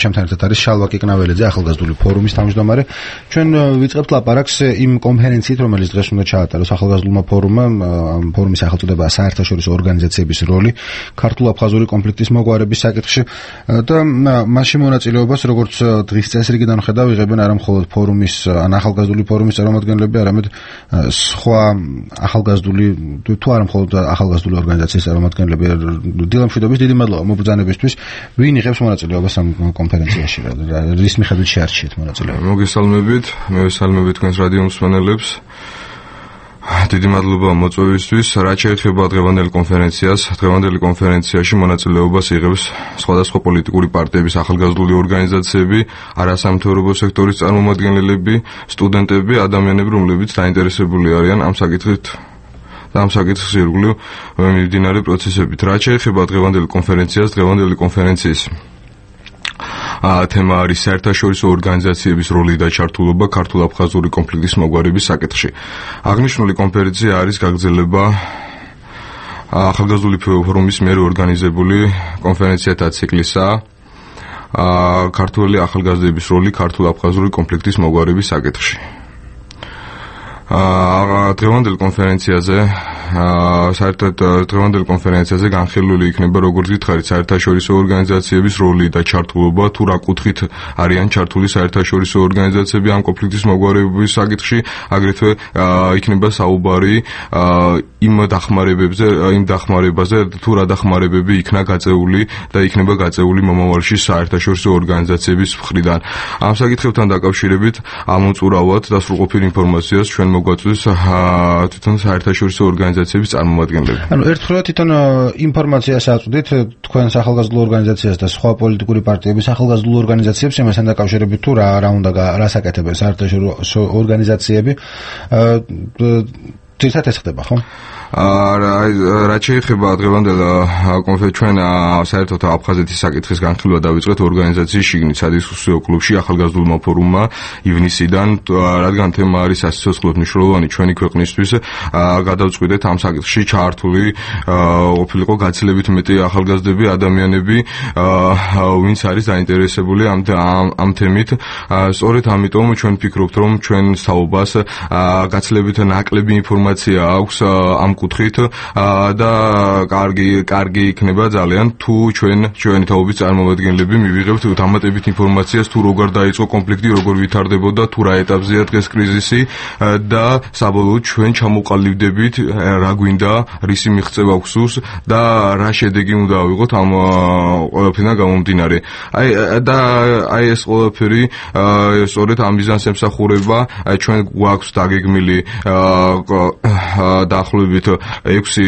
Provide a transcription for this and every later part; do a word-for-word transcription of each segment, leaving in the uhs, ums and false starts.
ჩემთან ერთად არის შალვა კიკნაველიძე, ახალგაზრდული ფორუმის თავმჯდომარე. ჩვენ ვიწყებთ ლაპარაკს იმ კონფერენციით, რომელიც დღეს უნდა ჩაატაროს ახალგაზრდულმა ფორუმმა, ფორუმის სახელწოდებაა საერთაშორისო ორგანიზაციების როლი ქართულ-აფხაზური კონფლიქტის მოგვარების საკითხში და მასში მონაწილეობას, როგორც დღის წესრიგიდან ხედავ, იღებენ არა მხოლოდ ფორუმის ან ახალგაზრდული ფორუმის წარმომადგენლები, არამედ სხვა ახალგაზრდული თუ არა მხოლოდ ახალგაზრდული ორგანიზაციის წარმომადგენლები. დილამშვიდობის დიდი მადლობა მობრძანებისთვის. ვინ იღებს მონაწილეობას ამ კონფერენციაში? რის მიხედვით შეარჩიეთ მონაწილეობა? მოგესალმებით, მე ვესალმები თქვენს რადიო მსმენელებს. დიდი მადლობა მოწვევისთვის. რაც შეეხება დღევანდელ კონფერენციას, დღევანდელი კონფერენციაში მონაწილეობას იღებს სხვადასხვა პოლიტიკური პარტიების ახალგაზრდული ორგანიზაციები, არასამთავრობო სექტორის წარმომადგენლები, სტუდენტები, ადამიანები, რომლებიც დაინტერესებული არიან ამ საკითხით და ამ საკითხის ირგვლივ მიმდინარე პროცესებით. რაც შეეხება დღევანდელ კონფერენციას, დღევანდელი კონფერენციის თემა არის საერთაშორისო ორგანიზაციების როლი და ჩართულობა ქართულ-აფხაზური კონფლიქტის მოგვარების საკითხში. აღნიშნული კონფერენცია არის გაგრძელება ახალგაზრდული ფორუმის მიერ ორგანიზებული კონფერენციათა ციკლისა ქართული ახალგაზრდების როლი ქართულ-აფხაზური კონფლიქტის მოგვარების საკითხში. დღევანდელ კონფერენციაზე საერთოდ დღევანდელ კონფერენციაზე განხილული იქნება, როგორც გითხარით, საერთაშორისო ორგანიზაციების როლი და ჩართულობა, თუ რა კუთხით არიან ჩართული საერთაშორისო ორგანიზაციები ამ კონფლიქტის მოგვარების საკითხში, აგრეთვე იქნება საუბარი იმ დახმარებებზე, იმ დახმარებაზე, თუ რა დახმარებები იქნა გაწეული და იქნება გაწეული მომავალში საერთაშორისო ორგანიზაციების მხრიდან. ამ საკითხებთან დაკავშირებით ამოწურავად და სრულყოფილ ინფორმაციას ჩვენ მოგვაწვდის თვითონ საერთაშორისო ორგანიზაციების წარმომადგენლები. ანუ ერთხელ თვითონ ინფორმაციას აწვდით თქვენს ახალგაზრდულ ორგანიზაციას და სხვა პოლიტიკური პარტიების ახალგაზრდულ ორგანიზაციებს იმასთან დაკავშირებით თუ რა რა უნდა რას აკეთებენ საერთაშორისო ორგანიზაციები. თვითონ ეს ხდება, ხო? რაც შეეხება დღევანდელ კონფერენციას, ჩვენ საერთოდ აფხაზეთის საკითხის განხილვა დავიწყეთ ორგანიზაციის შიგნით სადისკუსიო კლუბში ახალგაზრდულმა ფორუმმა ივნისიდან, რადგან თემა არის სასიცოცხლოდ მნიშვნელოვანი ჩვენი ქვეყნისთვის, გადავწყვიტეთ ამ საკითხში ჩართული ყოფილიყო გაცილებით მეტი ახალგაზრდები, ადამიანები, ვინც არის დაინტერესებული ამ ამ თემით. სწორედ ამიტომ ჩვენ ვფიქრობთ, რომ ჩვენ თაობას გაცილებით ნაკლები ინფორმაცია აქვს ამ კუთხით და კარგი კარგი იქნება ძალიან თუ ჩვენ ჩვენი თაობის წარმომადგენლები მივიღებთ დამატებით ინფორმაციას თუ როგორ დაიწყო კონფლიქტი, როგორ ვითარდებოდა, თუ რა ეტაპზეა დღეს კრიზისი და საბოლოოდ ჩვენ ჩამოყალიბდებით რა გვინდა, რისი მიღწევა გვსურს და რა შედეგი უნდა ავიღოთ ამ ყველაფერთან გამომდინარე. აი და აი ეს ყველაფერი სწორედ ამ მიზანს ემსახურება. ჩვენ გვაქვს დაგეგმილი დაახლოებით ექვსი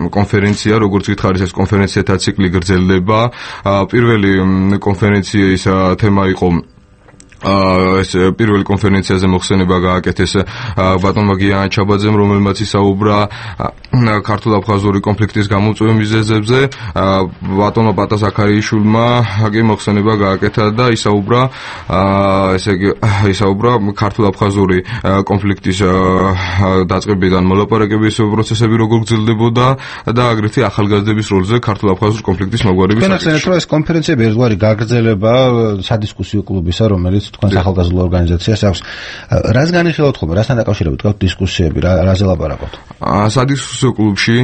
კონფერენცია, როგორც გითხარით, ეს კონფერენციათა ციკლი გრძელდება. პირველი კონფერენციის თემა იყო ეს პირველი კონფერენციაზე მოხსენება გააკეთეს ბატონმა გიან ჩაბაძემ, რომელმაც ისაუბრა ქართულ-აფხაზური კონფლიქტის გამოწვევის მიზეზებზე. ბატონმა პატა ზაქარიაშვილმა კი მოხსენება გააკეთა და ისაუბრა ესე იგი ისაუბრა ქართულ-აფხაზური კონფლიქტის დაწყებიდან მოლაპარაკების პროცესები როგორ გრძელდებოდა და აგრეთვე ახალგაზრდების როლზე ქართულ-აფხაზურ კონფლიქტის მოგვარების საკითხში. თქვენ ახსენეთ, რომ ეს კონფერენციები ერთგვარი გაგრძელება სადისკუსიო კლუბისა, რომელიც თქვენს ახალგაზრდულ ორგანიზაციას აქვს. რას განიხილავთ ხოლმე, რასთან დაკავშირებით თქვენ დისკუსიები, რაზე ლაპარაკობთ? სადისკუსიო კლუბში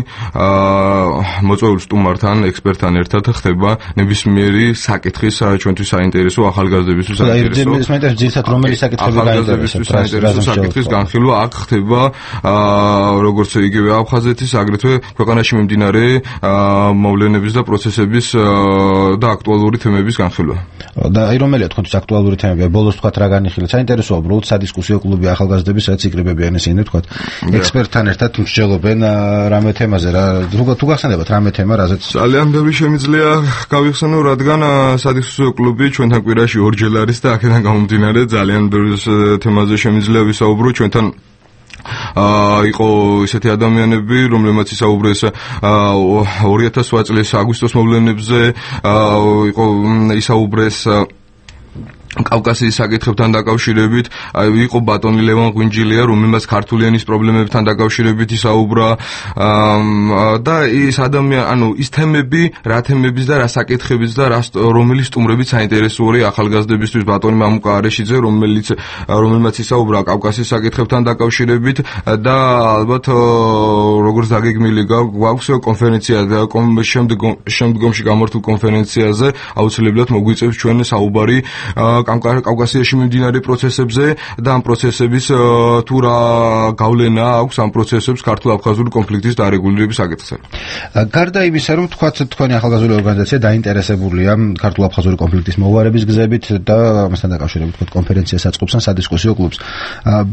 მოწვეულ სტუმართან, ექსპერტთან ერთად ხდება ნებისმიერი საკითხის ჩვენთვის საინტერესო ახალგაზრდებისთვის საინტერესო. ეს მაინტერესებს ძირითადად რომელი საკითხები გაინტერესებს საინტერესო საკითხის განხილვა აქ ხდება, როგორც იგივე აფხაზეთის, აგრეთვე ქვეყანაში მიმდინარე მოვლენების და პროცესების და აქტუალური თემების განხილვა. და აი რომელია თქვენთვის აქტუალური თემები? ბოლოს თქვათ რა განიხილეთ? საინტერესოა უბრალოდ სადისკუსიო კლუბი ახალგაზრდების რაც იკრიბებიან ისინი თქვათ ექსპერტთან ერთად მსჯელობენ რამე თემაზე, რა თუ გახსენებათ რამე თემა, რაზეც ძალიან ბევრი შემიძლია გავიხსენო, რადგან სადისკუსიო კლუბი ჩვენთან კვირაში ორჯერ არის და აქედან გამომდინარე ძალიან ბევრი თემაზე შემიძლია ვისაუბრო. ჩვენთან იყო ისეთი ადამიანები, რომლებმაც ისაუბრეს ორი ათას ოთხ წლის აგვისტოს მოვლენებზე, იყო ისაუბრეს კავკასიის საკითხებთან დაკავშირებით იყო ბატონი ლევან ღვინჯილია, რომელმაც ქართული ენის პრობლემებთან დაკავშირებით ისაუბრა და ის ადამიანი, ანუ ის თემები, რა თემების და რა საკითხებიც და რა რომელი სტუმრებით საინტერესოა ახალგაზრდებისთვის ბატონი მამუკა არეშიძე, რომელიც რომელმაც ისაუბრა კავკასიის საკითხებთან დაკავშირებით და ალბათ როგორც დაგეგმილი გვაქვს კონფერენცია და შემდგომში გამართულ კონფერენციაზე აუცილებლად მოგვიწევს ჩვენ საუბარი კავკასიაში მიმდინარე პროცესებზე და ამ პროცესების თუ რა გავლენა აქვს ამ პროცესებს ქართულ-აფხაზური კონფლიქტის დარეგულირების საკითხზე. გარდა იმისა, რომ თქვათ თქვენი ახალგაზრდული ორგანიზაცია დაინტერესებულია ქართულ-აფხაზური კონფლიქტის მოგვარების გზებით და ამასთან დაკავშირებით თქვათ კონფერენციას აწყობს ან სადისკუსიო კლუბს.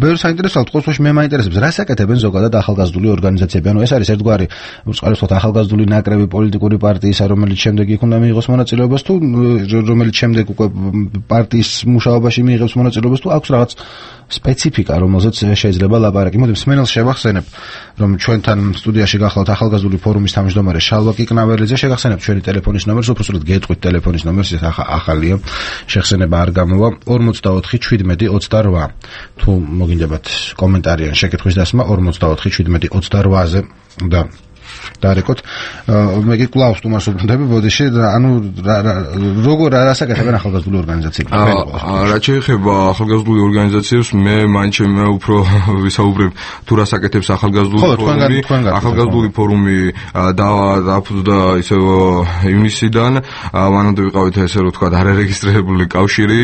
ბევრ საინტერესოა თქოს მე მაინტერესებს რა საკეთებენ ზოგადად ახალგაზრდული ორგანიზაციები. ანუ ეს არის ერთგვარი უწყალოდ თქვათ ახალგაზრდული ნაკრები პოლიტიკური პარტიისა, რომელიც შემდეგ იქ უნდა მიიღოს მონაწილეობას თუ რომელიც შემდეგ უკვე პარტიის მუშაობაში მიიღებს მონაწილეობას თუ აქვს რაღაც სპეციფიკა, რომელზეც შეიძლება ლაპარაკი. მოდი მსმენელს შევახსენებ, რომ ჩვენთან სტუდიაში გახლავთ ახალგაზრდული ფორუმის თავმჯდომარე შალვა კიკნაველიძე. შეგახსენებთ ჩვენი ტელეფონის ნომერს, უბრალოდ გეტყვით ტელეფონის ნომერს, ეს ახალია. შეხსენება არ გამოვა ორმოცდაოთხი შვიდმეტი ოცდარვა. თუ მოგინდებათ კომენტარი ან შეკითხვის დასმა ორმოცდაოთხი შვიდმეტი ოცდარვაზე და დარეკოთ. მე კი კლავს თუმას ვუბრუნდები ბოდიში, ანუ როგორ რასაკეთებენ ახალგაზრდული ორგანიზაციები? რა შეეხება ახალგაზრდული ორგანიზაციებს, მე მაინც მე უფრო ვისაუბრებ თუ რასაკეთებს ახალგაზრდული ფორუმი. ახალგაზრდული ფორუმი დააფუძნდა ისე ივნისიდან, მანამდე ვიყავით ესე რომ თქვა არარეგისტრირებული კავშირი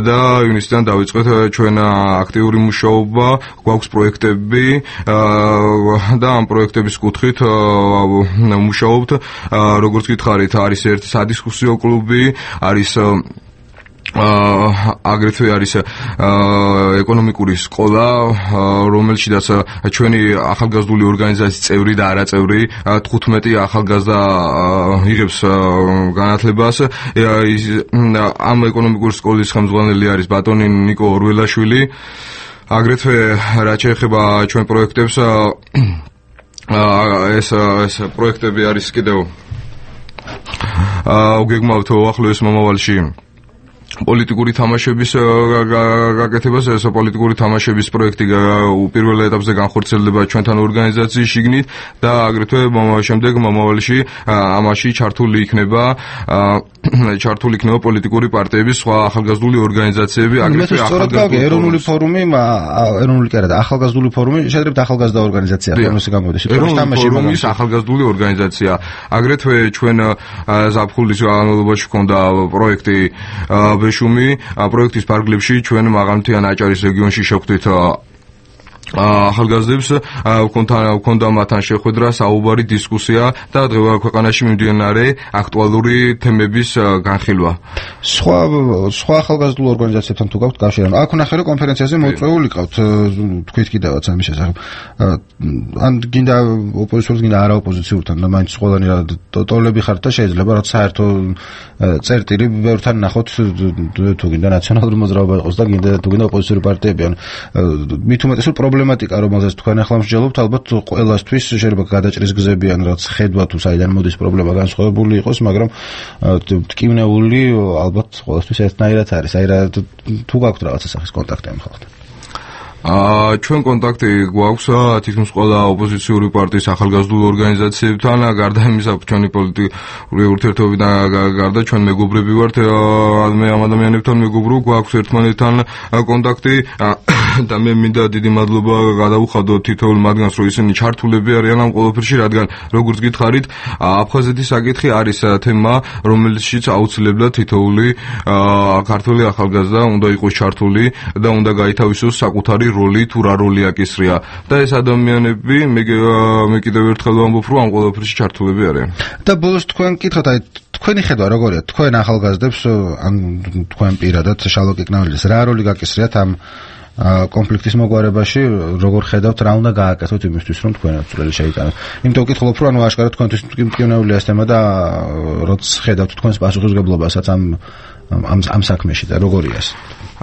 და ივნისიდან დავიწყეთ ჩვენ აქტიური მუშაობა, გვაქვს პროექტები და ამ პროექტების კუთხით მუშაობთ. როგორც გითხარით, არის ერთი სადისკუსიო კლუბი, არის აგრეთვე არის ეკონომიკური სკოლა, რომელშიც ჩვენი ახალგაზრდული ორგანიზაციის წევრი და არაწევრი თხუთმეტი ახალგაზრდა იღებს განათლებას. ამ ეკონომიკური სკოლის ხელმძღვანელი არის ბატონი ნიკო ორველაშვილი. აგრეთვე რაც შეეხება ჩვენ პროექტებს, ეს ეს პროექტები არის კიდევ გეგმავთ უახლოეს მომავალში პოლიტიკური თამაშების გაკეთებას. ეს პოლიტიკური თამაშების პროექტი პირველ ეტაპზე განხორციელდება ჩვენთან ორგანიზაციის შიგნით და აგრეთვე შემდეგ მომავალში ამაში ჩართული იქნება ჩართული იქნება პოლიტიკური პარტიების სხვა ახალგაზრდული ორგანიზაციები, აგრეთვე ახალგაზრდული ეროვნული ფორუმი, ეროვნული კი არა და ახალგაზრდული ფორუმი, შეძლებთ ახალგაზრდა ორგანიზაცია, ფორმოსი გამოდის. ეროვნული ფორუმის ახალგაზრდული ორგანიზაცია. აგრეთვე ჩვენ ზაფხულის განმავლობაში გვქონდა პროექტი ბეშუმი. პროექტის ფარგლებში ჩვენ მაღალმთიან აჭარის რეგიონში შევხვდით ახალგაზრდებს, გვქონდა მათთან შეხვედრა, საუბარი, დისკუსია და ქვეყანაში მიმდინარე აქტუალური თემების განხილვა. სხვა სხვა ახალგაზრდულ ორგანიზაციებთან თუ გაქვთ კავშირი? აქ ნახე რომ კონფერენციაზე მოწვეული ყავთ, თქვით კიდევაც ამის შესახებ. ან გინდა ოპოზიციურთან, გინდა არაოპოზიციურთან, და მაინც ყველანი ტოლები ხართ და შეიძლება რაც საერთო წერტილი ბევრთან ნახოთ, თუ გინდა ნაციონალური მოძრაობა იყოს და გინდა თუ გინდა ოპოზიციური პარტიები. ან მით უმეტესად პრობლემატიკა, რომელზეც თქვენ ახლა მსჯელობთ, ალბათ ყველასთვის შეიძლება გადაჭრის გზები ან რაც ხედვა თუ საიდან მოდის პრობლემა განსხვავებული იყოს, მაგრამ ტკივნეული ალბათ ყველასთვის ერთნაირად არის. აი რა თუ გაქვთ რაღაცა სახის კონტაქტი ამ ხალხთან? აა ჩვენ კონტაქტი გვაქვს თითქმის ყველა ოპოზიციური პარტიის ახალგაზრდულ ორგანიზაციებთან, გარდა იმისა, ჩვენი პოლიტიკური ურთიერთობიდან გარდა ჩვენ მეგობრები ვართ, მე ამ ადამიანებთან მეგობრო, გვაქვს ერთმანეთთან კონტაქტი და მე მინდა დიდი მადლობა გადავუხადო თითოეულ მათგანს, რომ ისინი ჩართულები არიან ამ ყველაფერში, რადგან როგორც გითხარით, აფხაზეთის საკითხი არის თემა, რომელშიც აუცილებლად თითოეული ქართველი ახალგაზრდა უნდა იყოს ჩართული და უნდა გაითავისოს საკუთარი როლი თუ რა როლი აკისრია და ეს ადამიანები მე მე კიდევ ერთხელ ვამბობ, რომ ამ ყველაფერში ჩართულები არიან. და ბოლოს თქვენ კითხოთ, აი თქვენი ხედვა როგორია? თქვენ ახალგაზრდებს ან თქვენ პირადად შალვა კიკნაველიძეს რა როლი გაკისრიათ ამ კონფლიქტის მოგვარებაში, როგორ ხედავთ, რა უნდა გააკეთოთ იმისთვის, რომ თქვენაც წვლილი შეიტანოთ? იმიტომ ვკითხულობ, რომ ანუ აშკარად თქვენთვის მტკივნეულია ეს თემა და როც ხედავთ თქვენს პასუხისმგებლობასაც ამ ამ ამ საქმეში და როგორია ეს?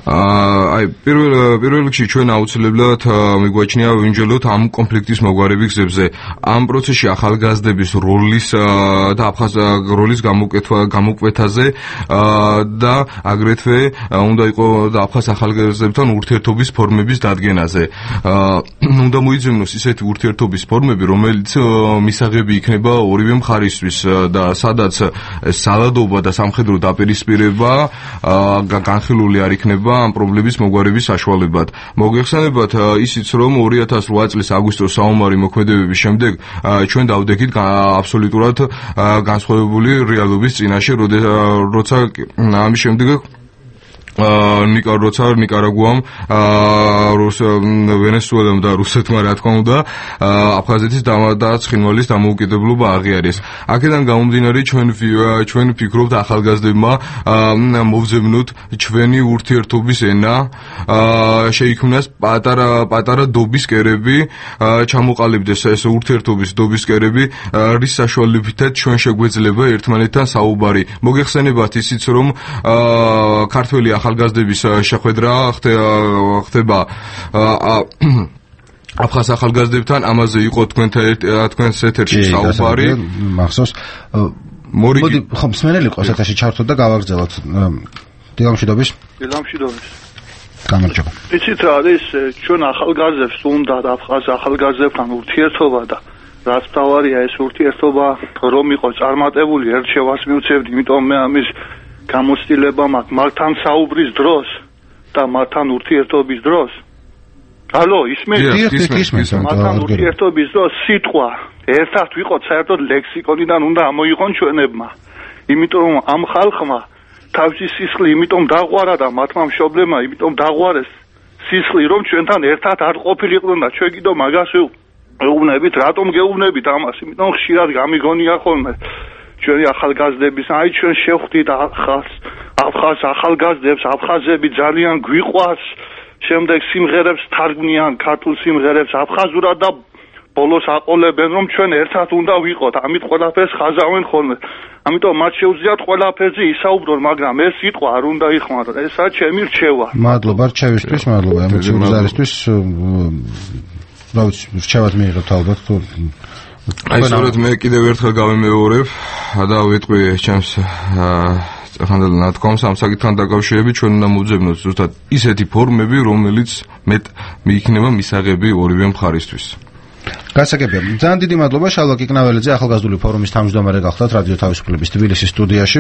აი პირველ პირველ რიგში ჩვენ აუცილებლად მიგვაჩნია ვიმჯელოთ ამ კონფლიქტის მოგვარების გზებზე. ამ პროცესში ახალგაზრდების როლის და აფხაზ როლის გამოკეთვა გამოკვეთაზე და აგრეთვე უნდა იყოს აფხაზ ახალგაზრდებთან ურთიერთობის ფორმების დადგენაზე. უნდა მოიძებნოს ისეთი ურთიერთობის ფორმები, რომელიც მისაღები იქნება ორივე მხარისთვის და სადაც სალადობა და სამხედრო დაპირისპირება განხილული არ იქნება ამ პრობლემის მოგვარების საშუალებად. მოგეხსენებათ ისიც, რომ ორი ათას რვა წლის აგვისტოს საომარი მოქმედებების შემდეგ ჩვენ დავდექით აბსოლუტურად განსხვავებული რეალობის წინაშე, როცა ამის შემდეგ ნიკა როცა ნიკარაგუამ ვენესუელამ და რუსეთმა რა თქმა უნდა აფხაზეთის და ცხინვალის დამოუკიდებლობა აღიარეს. აქედან გამომდინარე ჩვენ ჩვენ ვფიქრობთ ახალგაზრდებმა მოვძებნოთ ჩვენი ურთიერთობის ენა, შეიქმნას პატარა პატარა დობის კერები, ჩამოყალიბდეს ეს ურთიერთობის დობის კერები, რის საშუალებითაც ჩვენ შეგვეძლება ერთმანეთთან საუბარი. მოგეხსენებათ ისიც, რომ ქართველი ახალგაზრდების შეხვედრა ხდება აფხაზ ახალგაზრდებთან, ამაზე იყო თქვენთან თქვენს ეთერში საუბარი. მახსოვს. მოდი ხომ მსმენელი ყავს ეთერში ჩართოთ და გავაგრძელოთ. დილამშვიდობის. დილამშვიდობის. გამარჯობა. იცით რა არის ჩვენ ახალგაზრდებს უნდა აფხაზ ახალგაზრდებთან ურთიერთობა და რაც თავარია ეს ურთიერთობა რომ იყო წარმატებული ერთ შევას მივცევდი, იმიტომ მე ამის გამოცდილება მაქვს მართან საუბრის დროს და მართან ურთიერთობის დროს. ალო, ისმენთ? მართან ურთიერთობის დროს სიტყვა ერთად ვიყოთ საერთოდ ლექსიკონიდან უნდა ამოიღონ ჩვენებმა. იმიტომ რომ ამ ხალხმა თავისი სისხლი იმიტომ დაღვარა და მათმა მშობლებმა იმიტომ დაღვარეს სისხლი, რომ ჩვენთან ერთად არ ყოფილიყვნენ და ჩვენ კიდევ მაგას ვეუბნებით, რატომ გეუბნებით ამას? იმიტომ ხშირად გამიგონია ხოლმე ჩვენი ახალგაზრდების, აი ჩვენ შევხვდით ახალ აფხაზ ახალგაზრდებს, აფხაზები ძალიან გვიყვარს, შემდეგ სიმღერებს თარგმნიან ქართულ სიმღერებს აფხაზურად და ბოლოს აყოლებენ, რომ ჩვენ ერთად უნდა ვიყოთ, ამით ყველაფერს ხაზავენ ხოლმე. ამიტომ მათ შეუძლიათ ყველაფერზე ისაუბრონ, მაგრამ ეს სიტყვა არ უნდა იხმარონ. ესაა ჩემი რჩევა. მადლობა რჩევისთვის, მადლობა ემოციური ზარისთვის. რა ვიცი, რჩევად მიიღებთ ალბათ თუ აი სწორედ მე კიდევ ერთხელ გავემეორებ და ვიტყვი ჩემს ხანდელ ნათქვამს ამ საკითხთან დაკავშირებით ჩვენ უნდა მოვძებნოთ ზუსტად ისეთი ფორმები, რომელიც მეტ მიიქნება მისაღები ორივე მხარისთვის. გასაგებია. ძალიან დიდი მადლობა შალვა კიკნაველიძე, ახალგაზრდული ფორუმის თავმჯდომარე გახლდათ რადიო თავისუფლების თბილისის სტუდიაში.